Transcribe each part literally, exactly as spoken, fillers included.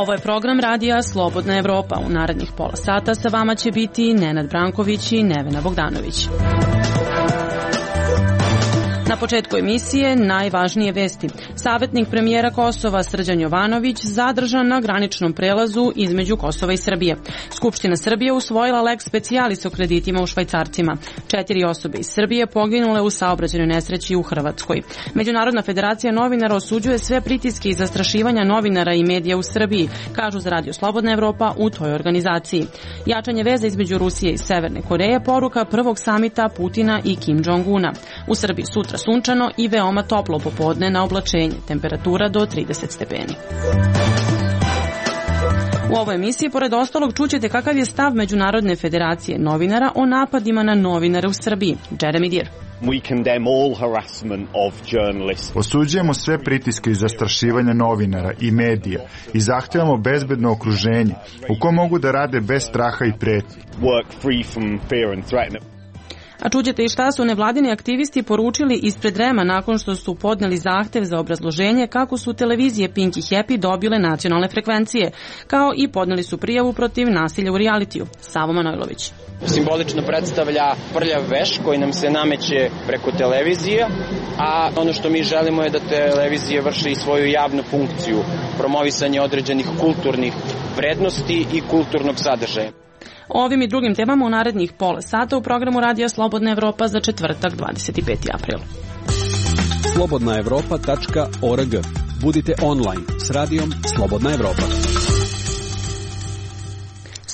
Ovo je program radija Slobodna Evropa. U narednih pola sata sa vama će biti Nenad Branković i Nevena Bogdanović. Na početku emisije najvažnije vesti. Savetnik premijera Kosova Srđan Jovanović zadržan na graničnom prelazu između Kosova i Srbije. Skupština Srbije usvojila lex specialis o kreditima u švajcarcima. Četiri osobe iz Srbije poginule u saobraćajnoj nesreći u Hrvatskoj. Međunarodna federacija novinara osuđuje sve pritiske i zastrašivanja novinara i medija u Srbiji, kažu za Radio Slobodna Evropa u toj organizaciji. Jačanje veza između Rusije i Severne Koreje poruka prvog samita Putina i Kim Jong-una. U Srbiji sutra sunčano i veoma toplo popodne na oblačenje, temperatura do trideset stepeni. U ovoj emisiji, pored ostalog, čućete kakav je stav Međunarodne federacije novinara o napadima na novinare u Srbiji. Jeremy Dear. Osuđujemo sve pritiske i zastrašivanja novinara i medija i zahtevamo bezbedno okruženje u kom mogu da rade bez straha i pretnji. A čućete i šta su nevladini aktivisti poručili ispred REM-a nakon što su podneli zahtev za obrazloženje kako su televizije Pink i Happy dobile nacionalne frekvencije, kao i podneli su prijavu protiv nasilja u realitiju. Savo Manojlović. Simbolično predstavlja prljav veš koji nam se nameće preko televizije, a ono što mi želimo je da televizije vrše i svoju javnu funkciju, promovisanje određenih kulturnih vrednosti i kulturnog sadržaja. O ovim i drugim temama u narednih pola sata u programu Radija Slobodna Evropa za četvrtak dvadeset peti april. slobodna evropa tačka org. Budite online s radijom Slobodna Evropa.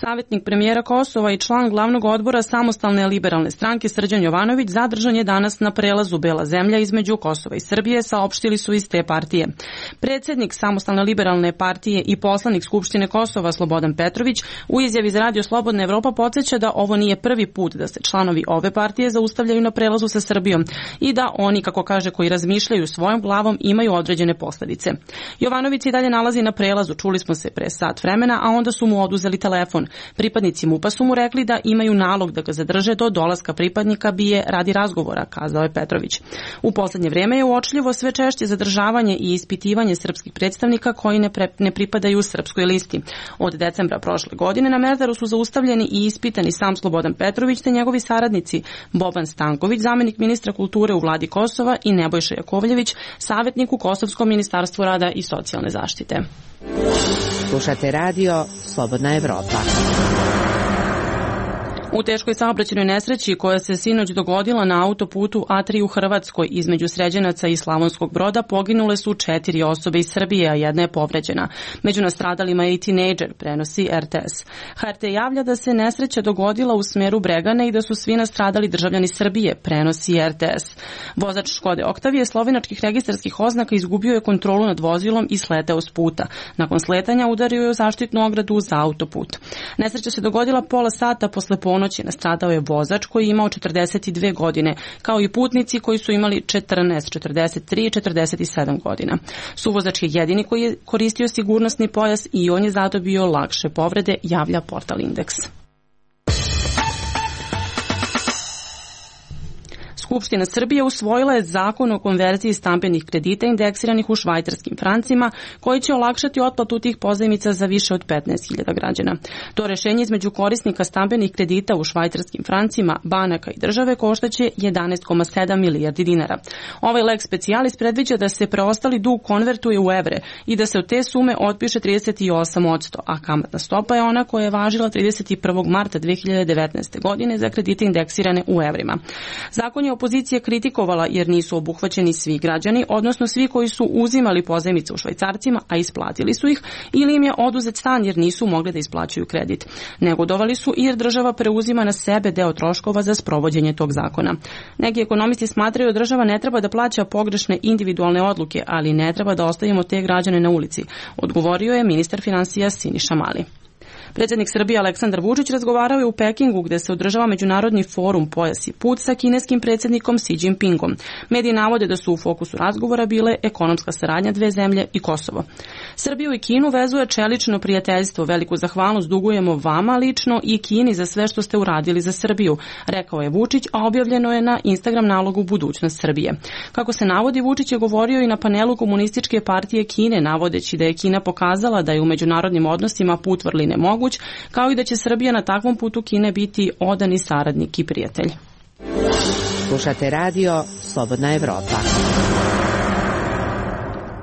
Savetnik premijera Kosova i član glavnog odbora Samostalne liberalne stranke Srđan Jovanović zadržan je danas na prelazu Bela zemlja između Kosova i Srbije, saopštili su iz te partije. Predsednik Samostalne liberalne partije i poslanik Skupštine Kosova Slobodan Petrović u izjavi za Radio Slobodna Evropa podsjeća da ovo nije prvi put da se članovi ove partije zaustavljaju na prelazu sa Srbijom i da oni, kako kaže, koji razmišljaju svojom glavom imaju određene posledice. Jovanović se i dalje nalazi na prelazu, čuli smo se pre sat vremena, a onda su mu oduzeli telefon. Pripadnici MUP-a su mu rekli da imaju nalog da ga zadrže do dolaska pripadnika BIA radi razgovora, kazao je Petrović. U poslednje vreme je uočljivo sve češće zadržavanje i ispitivanje srpskih predstavnika koji ne, pre, ne pripadaju srpskoj listi. Od decembra prošle godine na Merdaru su zaustavljeni i ispitani sam Slobodan Petrović te njegovi saradnici Boban Stanković, zamenik ministra kulture u vladi Kosova, i Nebojša Jakovljević, savjetnik u Kosovskom ministarstvu rada i socijalne zaštite. Slušate radio Slobodna Evropa. U teškoj saobraćajnoj nesreći koja se sinoć dogodila na autoputu A tri u Hrvatskoj između Sređenaca i Slavonskog Broda poginule su četiri osobe iz Srbije, a jedna je povređena. Među nastradalima je i tinejdžer, prenosi R T S. H R T javlja da se nesreća dogodila u smeru Bregane i da su svi nastradali državljani Srbije, prenosi R T S. Vozač Škode Oktavije slovenačkih registarskih oznaka izgubio je kontrolu nad vozilom i sleteo s puta. Nakon sletanja udario je u zaštitnu ogradu za autoput. Nesreća se dogodila pola sata posle ponoći. Nastradao je vozač koji je imao četrdeset dve godine, kao i putnici koji su imali četrnaest, četrdeset tri i četrdeset sedam godina. Suvozač je jedini koji je koristio sigurnosni pojas i on je zadobio lakše povrede, javlja portal Indeks. Skupština Srbije usvojila je zakon o konverziji stambenih kredita indeksiranih u švajcarskim francima, koji će olakšati otplatu tih pozajmica za više od petnaest hiljada građana. To rešenje između korisnika stambenih kredita u švajcarskim francima, banaka i države koštaće jedanaest zarez sedam milijardi dinara. Ovaj lex specialis predviđa da se preostali dug konvertuje u evre i da se od te sume otpiše trideset osam posto, a kamatna stopa je ona koja je važila trideset prvog marta dve hiljade devetnaeste. godine za kredite indeksirane u evrima. Zakon je opozicija kritikovala jer nisu obuhvaćeni svi građani, odnosno svi koji su uzimali pozajmice u švajcarcima, a isplatili su ih, ili im je oduzet stan jer nisu mogli da isplaćuju kredit. Negodovali su i jer država preuzima na sebe deo troškova za sprovođenje tog zakona. Neki ekonomisti smatraju da država ne treba da plaća pogrešne individualne odluke, ali ne treba da ostavimo te građane na ulici, odgovorio je ministar finansija Siniša Mali. Predsjednik Srbije Aleksandar Vučić razgovarao je u Pekingu gde se održava međunarodni forum Pojas i put sa kineskim predsjednikom Xi Jinpingom. Mediji navode da su u fokusu razgovora bile ekonomska saradnja dve zemlje i Kosovo. Srbiju i Kinu vezuje čelično prijateljstvo. Veliku zahvalnost dugujemo vama lično i Kini za sve što ste uradili za Srbiju, rekao je Vučić, a objavljeno je na Instagram nalogu Budućnost Srbije. Kako se navodi, Vučić je govorio i na panelu Komunističke partije Kine, navodeći da je Kina pokazala da je u međunarodnim odnosima put vrline moguć, kao i da će Srbija na takvom putu Kine biti odani saradnik i prijatelj. Slušate radio Slobodna Evropa.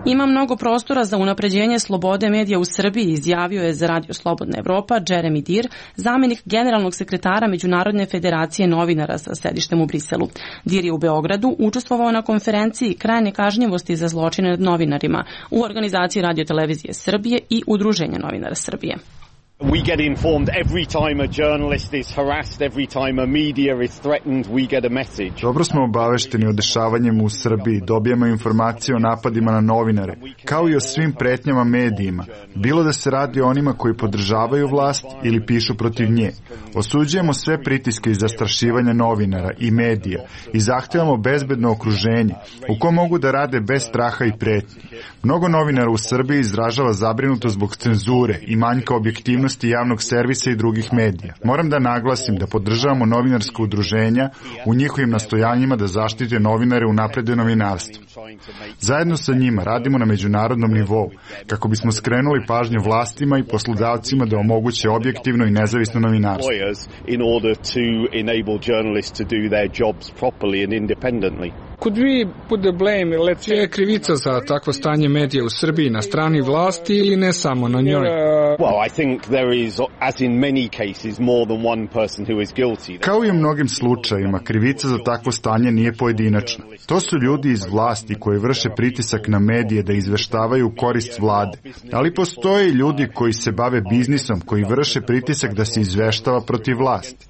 Ima mnogo prostora za unapređenje slobode medija u Srbiji, izjavio je za radio Slobodna Evropa Jeremy Dir, zamenik generalnog sekretara Međunarodne federacije novinara sa sedištem u Briselu. Dir je u Beogradu učestvovao na konferenciji Kraj nekažnjivosti za zločine nad novinarima u organizaciji Radio-televizije Srbije i Udruženja novinara Srbije. We get informed every time a journalist is harassed, every time a media is threatened, we get a message. Dobro smo obavešteni o dešavanjima u Srbiji, dobijamo informacije o napadima na novinare, kao i o svim pretnjama medijima, bilo da se radi o onima koji podržavaju vlast ili pišu protiv nje. Osuđujemo sve pritiske i zastrašivanja novinara i medija i zahtevamo bezbedno okruženje u kom mogu da rade bez straha i pretnji. Mnogo novinara u Srbiji izražava zabrinutost zbog cenzure i manjka objektivnosti javnog servisa i drugih medija. Moram da naglasim da podržavamo novinarska udruženja u njihovim nastojanjima da zaštite novinare u naprede novinarstvu. Zajedno sa njima radimo na međunarodnom nivou kako bismo skrenuli pažnju vlastima i poslodavcima da omoguće objektivno i nezavisno novinarstvo. Je krivica za takvo stanje medija u Srbiji na strani vlasti ili ne samo na njoj? Kao i u mnogim slučajevima, krivica za takvo stanje nije pojedinačna. To su ljudi iz vlasti koji vrše pritisak na medije da izveštavaju u korist vlade. Ali postoje i ljudi koji se bave biznisom, koji vrše pritisak da se izveštava protiv vlasti.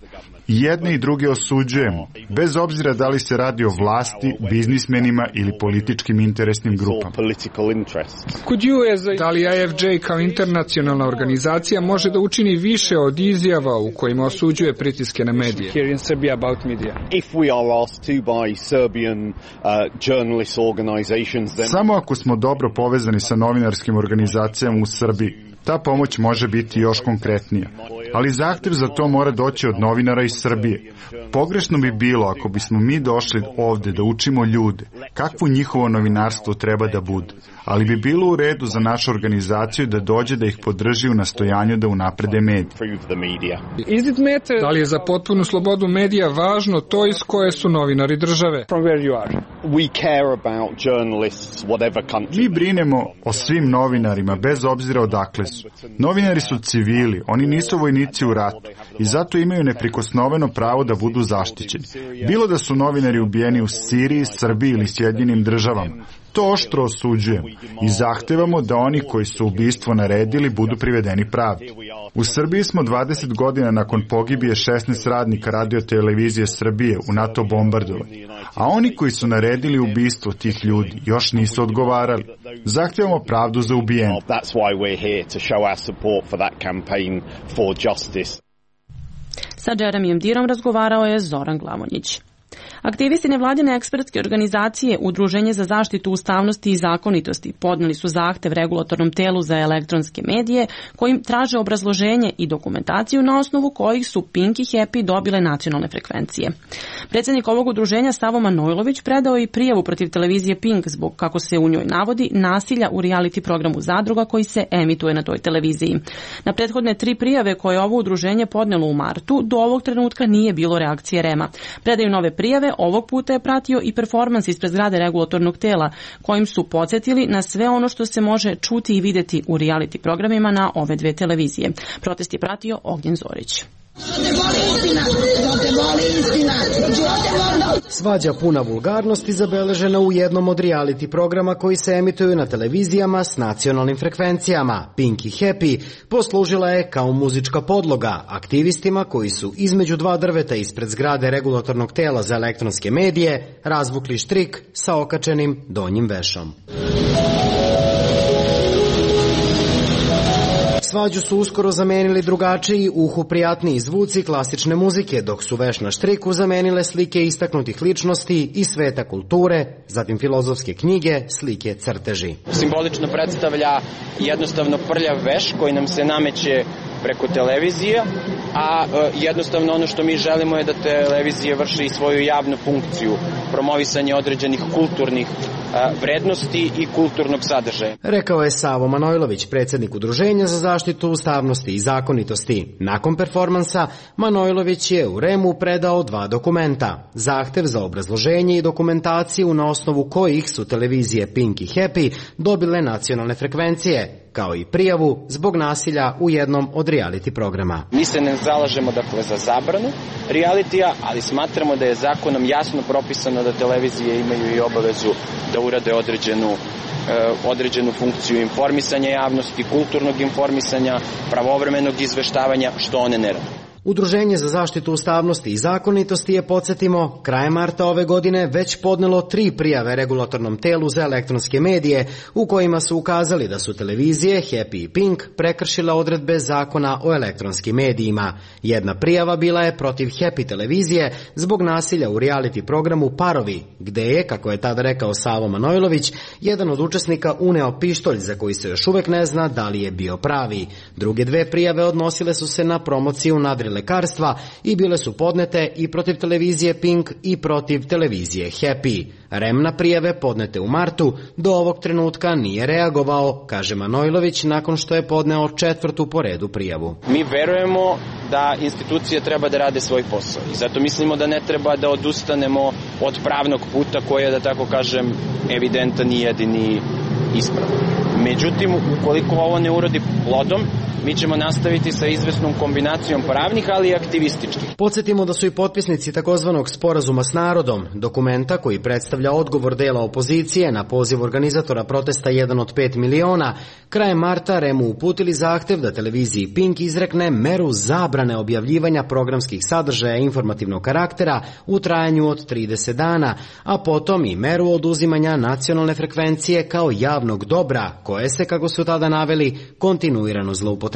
I jedne i druge osuđujemo, bez obzira da li se radi o vlasti, biznismenima ili političkim interesnim grupama. Da li I F J kao internacionalna organizacija može da učini više od izjava u kojima osuđuje pritiske na medije? Samo ako smo dobro povezani sa novinarskim organizacijama u Srbiji, ta pomoć može biti još konkretnija. Ali zahtev za to mora doći od novinara iz Srbije. Pogrešno bi bilo ako bismo mi došli ovde da učimo ljude kakvo njihovo novinarstvo treba da bude. Ali bi bilo u redu za našu organizaciju da dođe da ih podrži u nastojanju da unaprede medije. Da li je za potpunu slobodu medija važno to iz koje su novinari države? Mi brinemo o svim novinarima bez obzira odakle su. Novinari su civili, oni nisu vojnici u ratu i zato imaju neprikosnoveno pravo da budu zaštićeni. Bilo da su novinari ubijeni u Siriji, Srbiji ili Sjedinjenim državama. To oštro osuđujemo i zahtevamo da oni koji su ubistvo naredili budu privedeni pravdi. U Srbiji smo dvadeset godina nakon pogibije šesnaest radnika Radio-televizije Srbije u NATO bombardovanju, a oni koji su naredili ubistvo tih ljudi još nisu odgovarali. Zahtevamo pravdu za ubijene. Sa Jeremyjem Dirom razgovarao je Zoran Glavonjić. Aktivisti nevladine ekspertske organizacije Udruženje za zaštitu ustavnosti i zakonitosti podneli su zahtev regulatornom telu za elektronske medije kojim traže obrazloženje i dokumentaciju na osnovu kojih su Pink i Happy dobile nacionalne frekvencije. Predsjednik ovog udruženja Savo Manojlović predao i prijavu protiv televizije Pink zbog, kako se u njoj navodi, nasilja u reality programu Zadruga koji se emituje na toj televiziji. Na prethodne tri prijave koje je ovo udruženje podnelo u martu, do ovog trenutka nije bilo reakcije REM-a. Predaju nove prijave ovog puta je pratio i performans ispred zgrade regulatornog tela, kojim su podsjetili na sve ono što se može čuti i videti u reality programima na ove dve televizije. Protest je pratio Ognjen Zorić. Svađa puna vulgarnosti zabeležena u jednom od reality programa koji se emituju na televizijama s nacionalnim frekvencijama. Pink i Happy poslužila je kao muzička podloga aktivistima koji su između dva drveta ispred zgrade regulatornog tela za elektronske medije razvukli štrik sa okačenim donjim vešom. Svađu su uskoro zamenili drugačiji, uhu prijatniji zvuci klasične muzike, dok su veš na štriku zamenile slike istaknutih ličnosti iz sveta kulture, zatim filozofske knjige, slike, crteži. Simbolično predstavlja jednostavno prljav veš koji nam se nameće preko televizije, a jednostavno ono što mi želimo je da televizije vrše i svoju javnu funkciju, promovisanje određenih kulturnih vrednosti i kulturnog sadržaja. Rekao je Savo Manojlović, predsjednik Udruženja za zaštitu ustavnosti i zakonitosti. Nakon performansa, Manojlović je u REM-u predao dva dokumenta. Zahtev za obrazloženje i dokumentaciju na osnovu kojih su televizije Pink i Happy dobile nacionalne frekvencije, kao i prijavu zbog nasilja u jednom od reality programa. Mi se ne zalažemo dakle za zabranu realitija, ali smatramo da je zakonom jasno propisano da televizije imaju i obavezu da urade određenu, e, određenu funkciju informisanja javnosti, kulturnog informisanja, pravovremenog izveštavanja, što one ne rade. Udruženje za zaštitu ustavnosti i zakonitosti je, podsjetimo, krajem marta ove godine već podnelo tri prijave regulatornom telu za elektronske medije u kojima su ukazali da su televizije Happy i Pink prekršile odredbe zakona o elektronskim medijima. Jedna prijava bila je protiv Happy televizije zbog nasilja u reality programu Parovi, gde je, kako je tada rekao Savo Manojlović, jedan od učesnika uneo pištolj za koji se još uvek ne zna da li je bio pravi. Druge dve prijave odnosile su se na promociju nadri lekarstva i bile su podnete i protiv televizije Pink i protiv televizije Happy. REM na prijave podnete u martu do ovog trenutka nije reagovao, kaže Manojlović, nakon što je podneo četvrtu po redu prijavu. Mi verujemo da institucije treba da rade svoj posao i zato mislimo da ne treba da odustanemo od pravnog puta koji je, da tako kažem, evidentan i jedini ispravan. Međutim, ukoliko ovo ne urodi plodom, mi ćemo nastaviti sa izvesnom kombinacijom pravnih, ali i aktivističkih. Podsjetimo da su i potpisnici takozvanog sporazuma s narodom, dokumenta koji predstavlja odgovor dela opozicije na poziv organizatora protesta jedan od pet miliona, krajem marta REM-u uputili zahtev da televiziji Pink izrekne meru zabrane objavljivanja programskih sadržaja informativnog karaktera u trajanju od trideset dana, a potom i meru oduzimanja nacionalne frekvencije kao javnog dobra, koje se, kako su tada naveli, kontinuirano zloupotrebljava.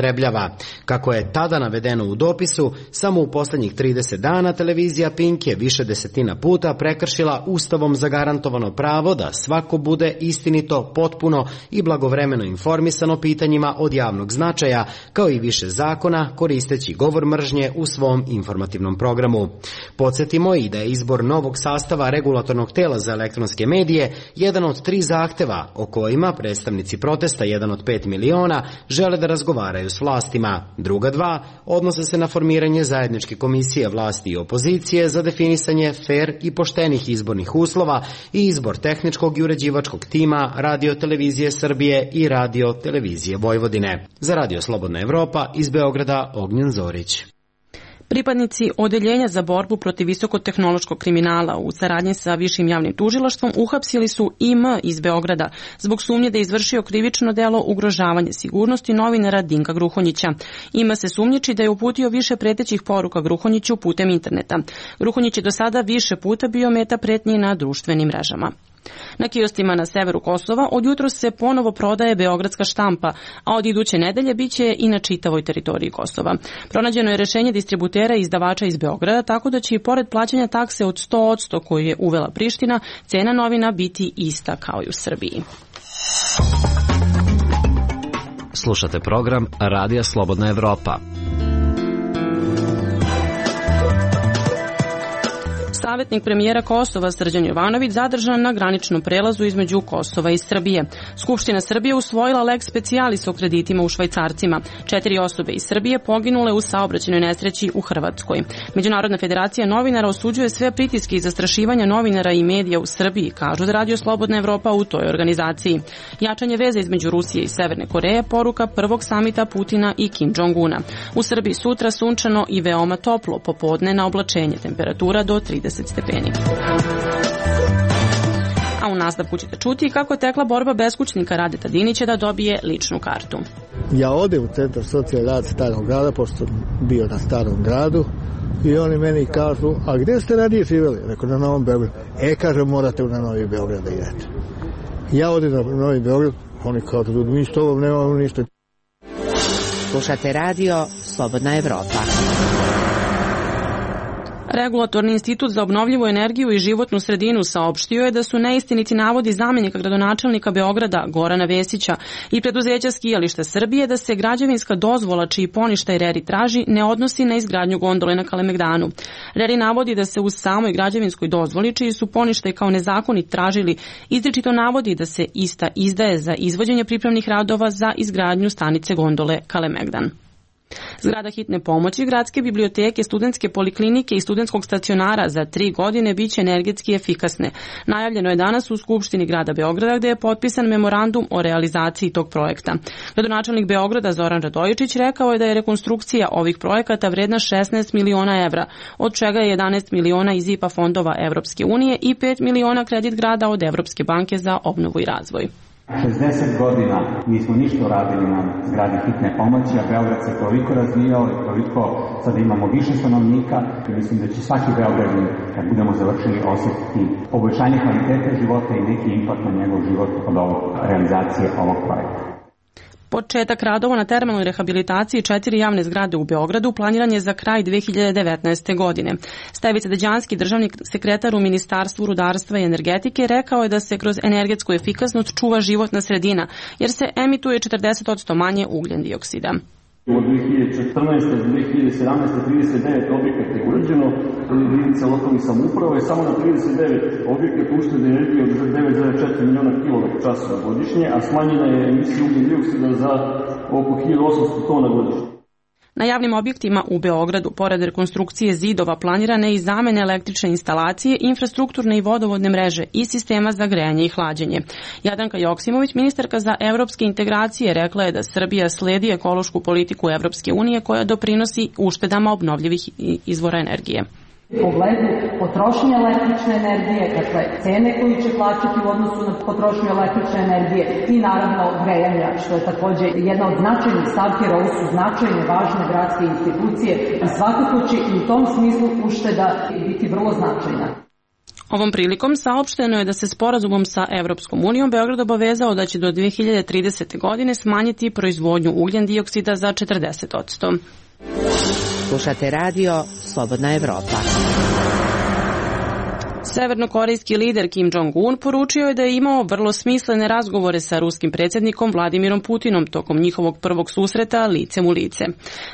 Kako je tada navedeno u dopisu, samo u poslednjih trideset dana televizija Pink je više desetina puta prekršila ustavom zagarantovano pravo da svako bude istinito, potpuno i blagovremeno informisano pitanjima od javnog značaja, kao i više zakona, koristeći govor mržnje u svom informativnom programu. Podsjetimo i da je izbor novog sastava regulatornog tela za elektronske medije jedan od tri zahteva o kojima predstavnici protesta jedan od pet miliona žele da razgovaraju s vlastima. Druga dva odnose se na formiranje zajedničke komisije vlasti i opozicije za definisanje fer i poštenih izbornih uslova i izbor tehničkog i uređivačkog tima Radio televizije Srbije i Radio televizije Vojvodine. Za Radio Slobodna Evropa iz Beograda Ognjen Zorić. Pripadnici Odeljenja za borbu protiv visokotehnološkog kriminala u saradnji sa Višim javnim tužilaštvom uhapsili su I M iz Beograda zbog sumnje da je izvršio krivično delo ugrožavanja sigurnosti novinara Dinka Gruhonjića. I M se sumnjiči da je uputio više pretećih poruka Gruhonjiću putem interneta. Gruhonjić je do sada više puta bio meta pretnji na društvenim mrežama. Na kiostima na severu Kosova od jutros se ponovo prodaje beogradska štampa, a od iduće nedelje biće i na čitavoj teritoriji Kosova. Pronađeno je rešenje distributera i izdavača iz Beograda, tako da će i pored plaćanja takse od sto posto koju je uvela Priština, cena novina biti ista kao i u Srbiji. Slušate program Radija Slobodna Evropa. Savetnik premijera Kosova Srđan Jovanović zadržan na graničnom prelazu između Kosova i Srbije. Skupština Srbije usvojila lex specialis o kreditima u švajcarcima. Četiri osobe iz Srbije poginule u saobraćajnoj nesreći u Hrvatskoj. Međunarodna federacija novinara osuđuje sve pritiske i zastrašivanja novinara i medija u Srbiji, kažu da Radio Slobodna Evropa u toj organizaciji. Jačanje veze između Rusije i Severne Koreje poruka prvog samita Putina i Kim Jong-una. U Srbiji sutra sunčano i veoma toplo, popodne na oblačenje, temperatura do trideset stepeni. A u nastavku ćete čuti kako je tekla borba beskućnika Radeta Dinića da dobije ličnu kartu. Ja odem u centar socijalni rad Starog grada, pošto sam bio na Starom gradu, i oni meni kažu, a gdje ste ranije živjeli? Rekao, na Novom Beogradu. E, kaže, morate na Novi Beograd da idete. Ja odem na Novi Beograd, oni kažu, mi s tobom nemamo ništa. Slušate radio Slobodna Evropa. Regulatorni institut za obnovljivu energiju i životnu sredinu saopštio je da su neistiniti navodi zamenika gradonačelnika Beograda Gorana Vesića i preduzeća Skijališta Srbije da se građevinska dozvola čiji poništaj RERI traži ne odnosi na izgradnju gondole na Kalemegdanu. RERI navodi da se uz samoj građevinskoj dozvoli čiji su poništaj kao nezakonit tražili izričito navodi da se ista izdaje za izvođenje pripremnih radova za izgradnju stanice gondole Kalemegdan. Zgrada hitne pomoći, gradske biblioteke, studentske poliklinike i studentskog stacionara za tri godine biće energetski efikasne. Najavljeno je danas u Skupštini grada Beograda gde je potpisan memorandum o realizaciji tog projekta. Gradonačelnik Beograda Zoran Radojičić rekao je da je rekonstrukcija ovih projekata vredna šesnaest miliona evra, od čega je jedanaest miliona iz I P A fondova Evropske unije i pet miliona kredit grada od Evropske banke za obnovu i razvoj. šezdeset godina nismo ništa radili na zgradi hitne pomoći, a Beograd se toliko razvijao i toliko sada imamo više stanovnika i mislim da će svaki Beograđanin kad budemo završili osjetiti poboljšanje kvalitete života i neki impakt na njegov život od ovog realizacije ovog projekta. Početak radova na termalnoj rehabilitaciji četiri javne zgrade u Beogradu planiran je za kraj dve hiljade devetnaeste. godine. Stevica Deđanski, državni sekretar u Ministarstvu rudarstva i energetike, rekao je da se kroz energetsku efikasnost čuva životna sredina, jer se emituje četrdeset posto manje ugljen dioksida. Od dve hiljade četrnaeste do dve hiljade sedamnaeste. trideset devet objekata je urađeno, jedinice lokalnih samouprava i samo na trideset devet objekata uštede energije od devet zarez četiri miliona kilovat časova godišnje, a smanjena je emisija ugljen dioksida za oko hiljadu osamsto tona godišnje. Na javnim objektima u Beogradu, pored rekonstrukcije zidova, planirane i zamene električne instalacije, infrastrukturne i vodovodne mreže i sistema za grejanje i hlađenje. Jadranka Joksimović, ministarka za evropske integracije, rekla je da Srbija sledi ekološku politiku Evropske unije koja doprinosi uštedama obnovljivih izvora energije. U pogledu potrošnje električne energije, dakle cene koju će plaćati u odnosu na potrošnju električne energije i naravno grejanja, što je takođe jedna od značajnih stavki, jer ovo su značajne, važne gradske institucije i svakako će i u tom smislu ušteda biti vrlo značajna. Ovom prilikom saopšteno je da se sporazumom sa Evropskom unijom Beograd obavezao da će do dve hiljade tridesete. godine smanjiti proizvodnju ugljen dioksida za četrdeset posto. Slušate radio Slobodna Evropa. Severnokorejski lider Kim Jong-un poručio je da je imao vrlo smislene razgovore sa ruskim predsjednikom Vladimirom Putinom tokom njihovog prvog susreta licem u lice.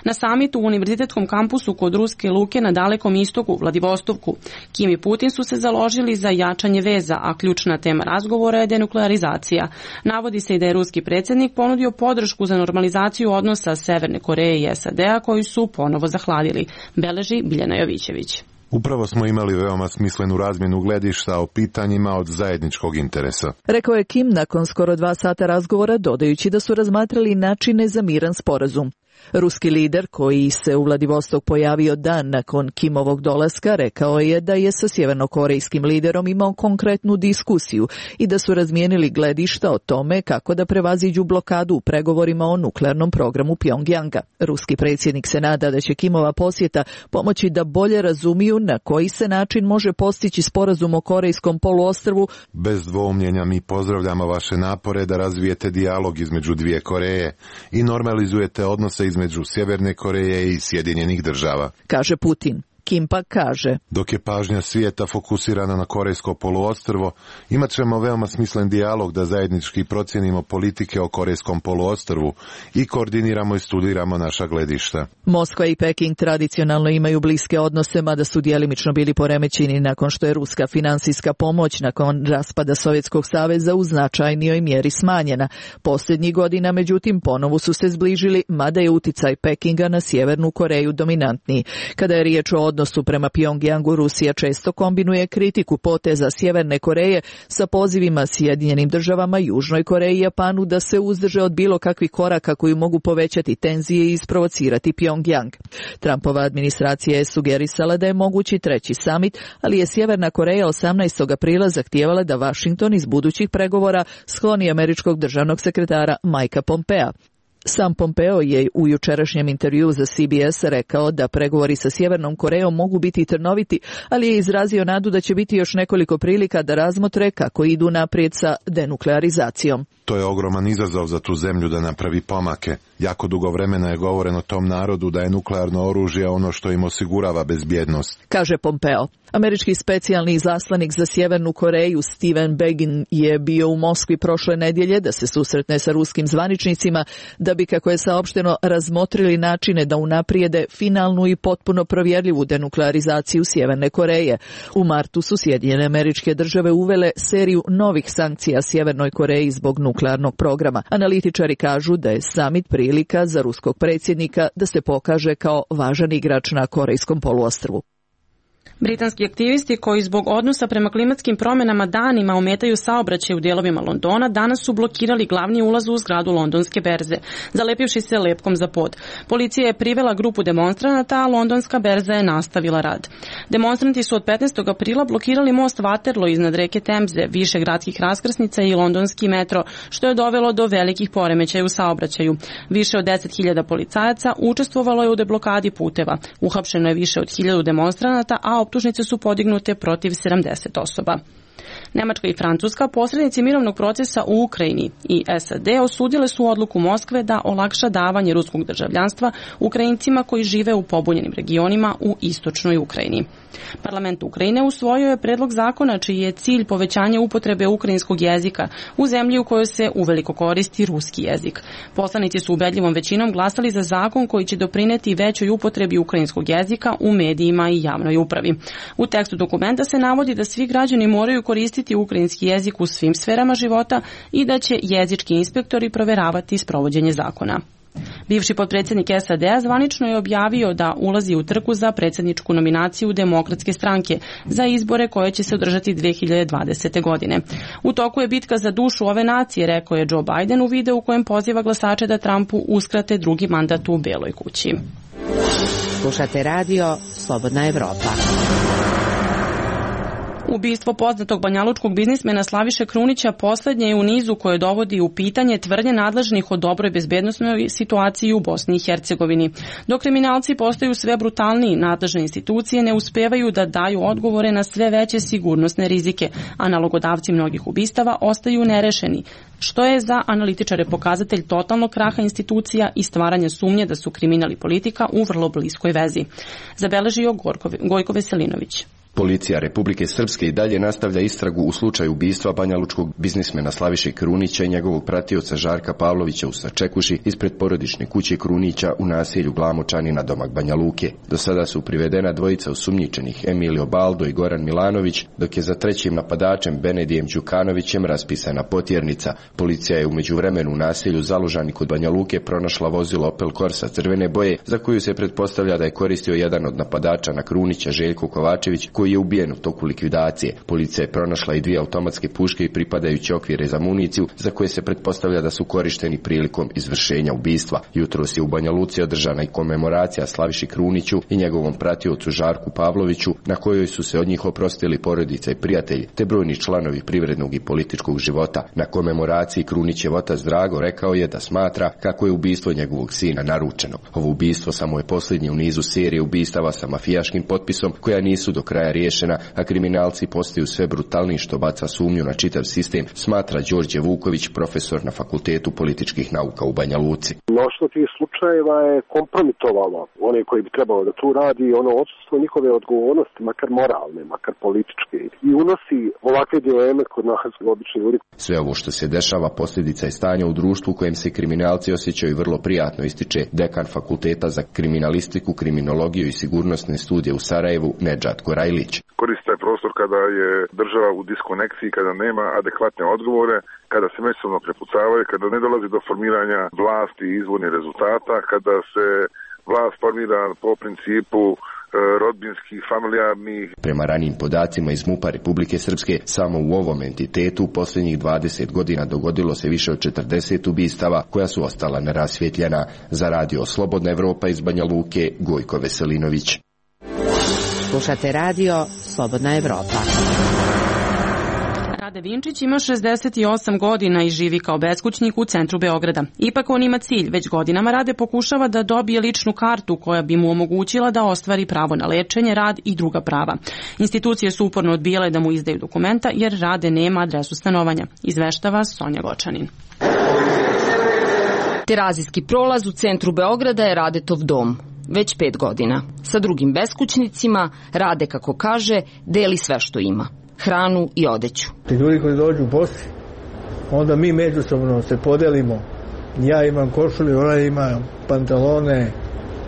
Na samitu u univerzitetskom kampusu kod Ruske luke na Dalekom istoku, Vladivostovku, Kim i Putin su se založili za jačanje veza, a ključna tema razgovora je denuklearizacija. Navodi se i da je ruski predsjednik ponudio podršku za normalizaciju odnosa Severne Koreje i S A D-a koji su ponovo zahladili, beleži Biljana Jovićević. Upravo smo imali veoma smislenu razmjenu gledišta o pitanjima od zajedničkog interesa. Rekao je Kim nakon skoro dva sata razgovora, dodajući da su razmatrali načine za miran sporazum. Ruski lider, koji se u Vladivostok pojavio dan nakon Kimovog dolaska, rekao je da je sa sjevernokorejskim liderom imao konkretnu diskusiju i da su razmijenili gledišta o tome kako da prevaziđu blokadu u pregovorima o nuklearnom programu Pjongjanga. Ruski predsjednik se nada da će Kimova posjeta pomoći da bolje razumiju na koji se način može postići sporazum o Korejskom poluostrvu. Bez dvoumljenja mi pozdravljamo vaše napore da razvijete dijalog između dvije Koreje i normalizujete odnose između Sjeverne Koreje i Sjedinjenih država, kaže Putin. Kim pak kaže: dok je pažnja svijeta fokusirana na Korejsko poluostrvo, imat ćemo veoma smislen dijalog da zajednički procijenimo politike o Korejskom poluostrvu i koordiniramo i studiramo naša gledišta. Moskva i Peking tradicionalno imaju bliske odnose, mada su djelimično bili poremećeni nakon što je ruska finansijska pomoć nakon raspada Sovjetskog saveza u značajnijoj mjeri smanjena. Posljednjih godina, međutim, ponovo su se zbližili, mada je uticaj Pekinga na Sjevernu Koreju dominantniji. Kada je riječ o odnosu prema Pjongjangu, Rusija često kombinuje kritiku poteza Sjeverne Koreje sa pozivima Sjedinjenim državama, Južnoj Koreji i Japanu da se uzdrže od bilo kakvih koraka koji mogu povećati tenzije i isprovocirati Pjongjang. Trumpova administracija je sugerisala da je mogući treći samit, ali je Sjeverna Koreja osamnaestog aprila zahtijevala da Washington iz budućih pregovora skloni američkog državnog sekretara Mikea Pompea. Sam Pompeo je u jučerašnjem intervjuu za C B S rekao da pregovori sa Sjevernom Korejom mogu biti trnoviti, ali je izrazio nadu da će biti još nekoliko prilika da razmotre kako idu naprijed sa denuklearizacijom. To je ogroman izazov za tu zemlju da napravi pomake. Jako dugo vremena je govoreno tom narodu da je nuklearno oružje ono što im osigurava bezbjednost. Kaže Pompeo. Američki specijalni izaslanik za Sjevernu Koreju Steven Begin je bio u Moskvi prošle nedjelje da se susretne sa ruskim zvaničnicima da bi, kako je saopšteno, razmotrili načine da unaprijede finalnu i potpuno provjerljivu denuklearizaciju Sjeverne Koreje. U martu su Sjedinjene Američke Države uvele seriju novih sankcija Sjevernoj Koreji zbog nuklearnog programa. Analitičari kažu da je samit prilika za ruskog predsjednika da se pokaže kao važan igrač na Korejskom poluostrvu. Britanski aktivisti koji zbog odnosa prema klimatskim promjenama danima ometaju saobraćaj u dijelovima Londona danas su blokirali glavni ulaz u zgradu londonske berze, zalepivši se lepkom za pod. Policija je privela grupu demonstranata, a londonska berza je nastavila rad. Demonstranti su od petnaestog aprila blokirali most Waterloo iznad reke Temze, više gradskih raskrsnica i londonski metro, što je dovelo do velikih poremećaja u saobraćaju. Više od deset hiljada policajaca učestvovalo je u deblokadi puteva. Uhapšeno je više od hiljadu demonstranata, a optužnice su podignute protiv sedamdeset osoba. Nemačka i Francuska, posrednici mirovnog procesa u Ukrajini, i S A D osudile su odluku Moskve da olakša davanje ruskog državljanstva Ukrajincima koji žive u pobunjenim regionima u istočnoj Ukrajini. Parlament Ukrajine usvojio je predlog zakona čiji je cilj povećanje upotrebe ukrajinskog jezika u zemlji u kojoj se uveliko koristi ruski jezik. Poslanici su ubedljivom većinom glasali za zakon koji će doprineti većoj upotrebi ukrajinskog jezika u medijima i javnoj upravi. U tekstu dokumenta se navodi da svi građani moraju koristiti ukrajinski jezik u svim sferama života i da će jezički inspektori proveravati sprovođenje zakona. Bivši potpredsjednik S A D-a zvanično je objavio da ulazi u trku za predsjedničku nominaciju Demokratske stranke za izbore koje će se održati dve hiljade dvadesete. godine. U toku je bitka za dušu ove nacije, rekao je Joe Biden u videu u kojem poziva glasače da Trumpu uskrate drugi mandat u Beloj kući. Slušate radio Slobodna Evropa. Ubistvo poznatog banjalučkog biznismena Slaviše Krunića poslednje je u nizu koje dovodi u pitanje tvrdnje nadležnih o dobroj bezbednosnoj situaciji u Bosni i Hercegovini. Dok kriminalci postaju sve brutalniji, nadležne institucije ne uspevaju da daju odgovore na sve veće sigurnosne rizike, a nalogodavci mnogih ubistava ostaju nerešeni, što je za analitičare pokazatelj totalnog kraha institucija i stvaranja sumnje da su kriminal i politika u vrlo bliskoj vezi. Zabeležio Gojko Veselinović. Policija Republike Srpske i dalje nastavlja istragu u slučaju ubistva banjalučkog biznismena Slaviše Krunića i njegovog pratioca Žarka Pavlovića u Sačekuši ispred porodične kuće Krunića u naselju Glamočani na domak Banja Luke. Do sada su privedena dvojica osumnjičenih, Emilio Baldo i Goran Milanović, dok je za trećim napadačem Benedijem Đukanovićem raspisana potjernica. Policija je u međuvremenu u naselju Zalužani kod Banja Luke pronašla vozilo Opel Corsa crvene boje, za koju se pretpostavlja da je koristio jedan od napadača na Krunića, Željko Kovačević, koji je ubijen u toku likvidacije. Policija je pronašla i dvije automatske puške i pripadajuće okvire za municiju, za koje se pretpostavlja da su korišteni prilikom izvršenja ubistva. Jutros je u Banja Luci održana i komemoracija Slaviši Kruniću i njegovom pratiocu Žarku Pavloviću, na kojoj su se od njih oprostili porodica i prijatelji, te brojni članovi privrednog i političkog života. Na komemoraciji Krunićev otac Drago rekao je da smatra kako je ubistvo njegovog sina naručeno. Ovo ubistvo samo je posljednje u nizu serije ubistava sa mafijaškim potpisom, koja nisu do kraja riješena, a kriminalci postaju sve brutalniji, što baca sumnju na čitav sistem, smatra Đorđe Vuković, profesor na Fakultetu političkih nauka u Banja Luci. Mnoštvo tih slučajeva je kompromitovalo one koji bi trebalo da tu radi, ono odsustvo njihove odgovornosti, makar moralne, makar političke, i unosi ovakve dileme kod nas obični ljudi. Sve ovo što se dešava posljedica je stanja u društvu u kojem se kriminalci osjećaju vrlo prijatno, ističe dekan Fakulteta za kriminalistiku, kriminologiju i sigurnosne studije u Sarajevu Nedžad Korajlić. Koristi taj prostor kada je država u diskonekciji, kada nema adekvatne odgovore, kada se međusobno prepucavaju, kada ne dolazi do formiranja vlasti i izvornih rezultata, kada se vlast formira po principu rodbinskih, familijarnih. Prema ranijim podacima iz MUP-a Republike Srpske, samo u ovom entitetu u posljednjih dvadeset godina dogodilo se više od četrdeset ubistava koja su ostala nerasvjetljena. Za radio Slobodna Evropa iz Banja Luke, Gojko Veselinović. Slušate radio Slobodna Evropa. Rade Vinčić ima šezdeset osam godina i živi kao beskućnik u centru Beograda. Ipak on ima cilj. Već godinama Rade pokušava da dobije ličnu kartu koja bi mu omogućila da ostvari pravo na lečenje, rad i druga prava. Institucije su uporno odbijale da mu izdaju dokumenta jer Rade nema adresu stanovanja. Izveštava Sonja Gočanin. Terazijski prolaz u centru Beograda je Radetov dom. Već pet godina. Sa drugim beskućnicima Rade, kako kaže, deli sve što ima. Hranu i odeću. Ti ljudi koji dođu bosi, onda mi međusobno se podelimo. Ja imam košulju, ona ima pantalone,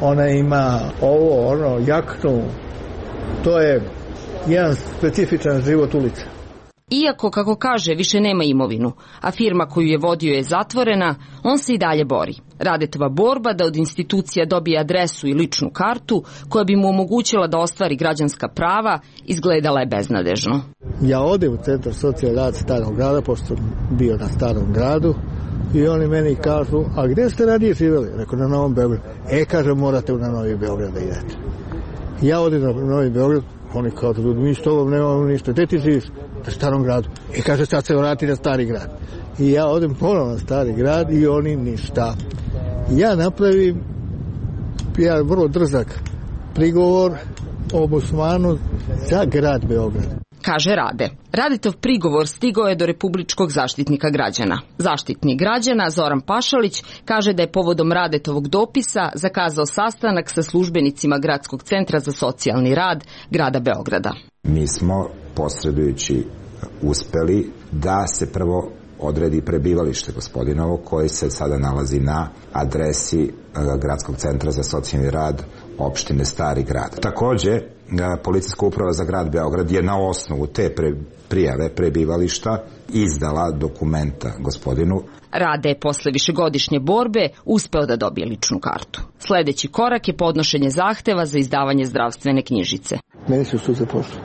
ona ima ovo, ono, jaknu. To je jedan specifičan život ulica. Iako, kako kaže, više nema imovinu, a firma koju je vodio je zatvorena, on se i dalje bori. Radetova borba da od institucija dobije adresu i ličnu kartu koja bi mu omogućila da ostvari građanska prava izgledala je beznadežno. Ja odem u centar socijalni rad Starog grada, pošto sam bio na Starom gradu, i oni meni kažu, a gdje ste ranije živjeli? Rekao, na Novom Beogradu. E, kaže, morate na Novi Beograd da idete. Ja odem na Novi Beograd, oni kažu, mi s tobom nemamo ništa, gdje ti živiš? Na Starom gradu. I kaže, sad se vrati na Stari grad. I ja odem ponovno na Stari grad i oni ništa. Ja napravim ja vrlo drzak prigovor ombudsmanu za grad Beograd. Kaže Rade. Radetov prigovor stigao je do Republičkog zaštitnika građana. Zaštitnik građana Zoran Pašalić kaže da je povodom Radetovog dopisa zakazao sastanak sa službenicima Gradskog centra za socijalni rad grada Beograda. Mi smo posredujući uspeli da se prvo odredi prebivalište gospodinovo koje se sada nalazi na adresi Gradskog centra za socijalni rad opštine Stari grad. Takođe, Policijska uprava za grad Beograd je na osnovu te pre, prijave prebivališta izdala dokumenta gospodinu. Rade je posle višegodišnje borbe uspeo da dobije ličnu kartu. Sledeći korak je podnošenje zahteva za izdavanje zdravstvene knjižice. Meni su suze pošle.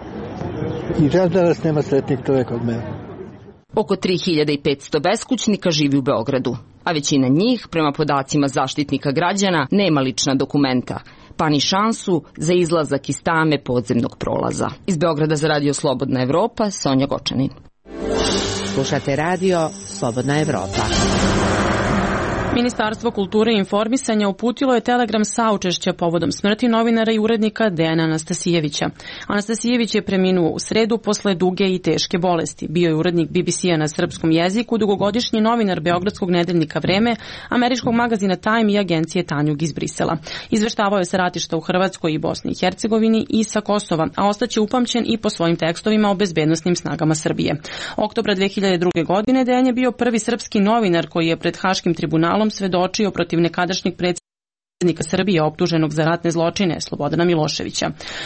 I čas danas nema sretnik čovjek od mene. Oko tri hiljade petsto beskućnika živi u Beogradu, a većina njih, prema podacima zaštitnika građana, nema lična dokumenta, pa ni šansu za izlazak iz tame podzemnog prolaza. Iz Beograda za Radio Slobodna Evropa, Sonja Gočanin. Slušate radio Slobodna Evropa. Ministarstvo kulture i informisanja uputilo je telegram saučešća povodom smrti novinara i urednika Dejana Anastasijevića. Anastasijević je preminuo u sredu posle duge i teške bolesti. Bio je urednik B B C-a na srpskom jeziku, dugogodišnji novinar Beogradskog nedeljnika Vreme, američkog magazina Time i agencije Tanjug iz Brisela. Izveštavao je sa ratišta u Hrvatskoj i Bosni i Hercegovini i sa Kosova, a ostaće upamćen i po svojim tekstovima o bezbednosnim snagama Srbije. Oktobra dve hiljade druge. godine Dejan je bio prvi srpski novinar koji je pred Haškim tribunalom svedočio protiv nekadašnjeg predsjednika Srbije optuženog za ratne zločine Slobodana Miloševića.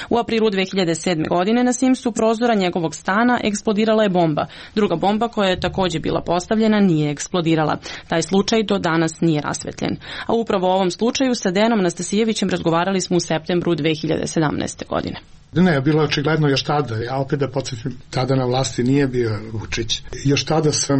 U aprilu dve hiljade sedme. godine na simsu prozora njegovog stana eksplodirala je bomba. Druga bomba koja je takođe bila postavljena nije eksplodirala. Taj slučaj do danas nije rasvetljen. A upravo u ovom slučaju sa Dejanom Anastasijevićem razgovarali smo u septembru dve hiljade sedamnaeste. godine. Ne, bilo je očigledno još tada, ja opet da podsjetim, tada na vlasti nije bio Vučić. Još tada sam,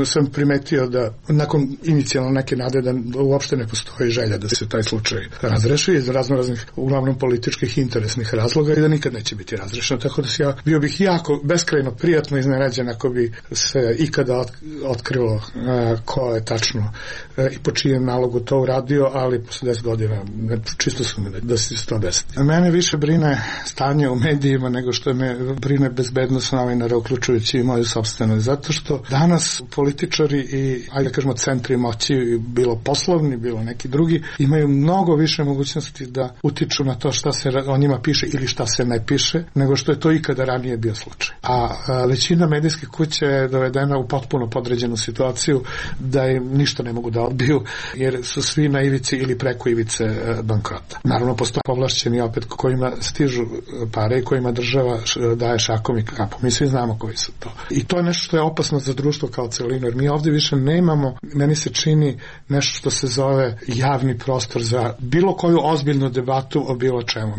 sam primetio da nakon inicijalno neke nade da uopšte ne postoji želja da se taj slučaj razreši iz razno raznih, uglavnom političkih interesnih razloga i da nikad neće biti razrešeno. Tako da ja bio bih jako beskrajno prijatno iznenađen ako bi se ikada otkrilo ko je tačno i po čijem nalogu to uradio, ali posle deset godina čisto su mi da se to desi. Mene više brine stanje u medijima nego što me brine bezbednost novinara, uključujući i moju sopstvenu. Zato što danas političari i, ajde da kažemo, centri moći, bilo poslovni, bilo neki drugi, imaju mnogo više mogućnosti da utiču na to šta se o njima piše ili šta se ne piše, nego što je to ikada ranije bio slučaj. A, a većina medijskih kuća je dovedena u potpuno podređenu situaciju da im ništa ne mogu da odbiju, jer su svi na ivici ili preko ivice bankrota. Naravno, postoje povlašćeni opet kojima stižu pare i kojima država daje šakom i kapom. Mi svi znamo koji su to. I to je nešto što je opasno za društvo kao celinu, jer mi ovdje više nemamo, meni se čini nešto što se zove javni prostor za bilo koju ozbiljnu debatu o bilo čemu.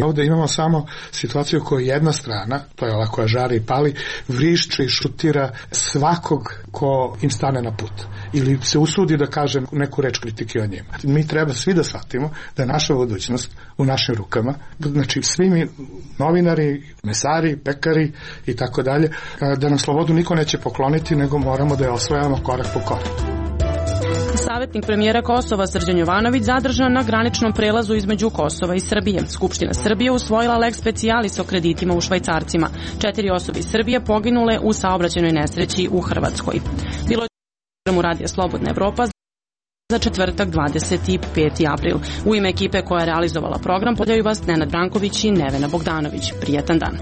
Mi ovdje da imamo samo situaciju koju jedna strana, to je ova koja žari i pali, vrišće i šutira svakog ko im stane na put ili se usudi da kaže neku reč kritike o njima. Mi treba svi da shvatimo da je naša budućnost u našim rukama, znači svi mi novinari, mesari, pekari i tako dalje, da nam slobodu niko neće pokloniti, nego moramo da je osvajamo korak po korak. Savjetnik premijera Kosova Srđan Jovanović zadržan na graničnom prelazu između Kosova i Srbije. Skupština Srbije usvojila lex specialis o kreditima u švajcarcima. Četiri osobe iz Srbije poginule u saobraćajnoj nesreći u Hrvatskoj. Bilo je u Radija Slobodna Evropa za četvrtak dvadeset peti april. U ime ekipe koja je realizovala program pozdravljaju vas Nenad Branković i Nevena Bogdanović. Prijetan dan.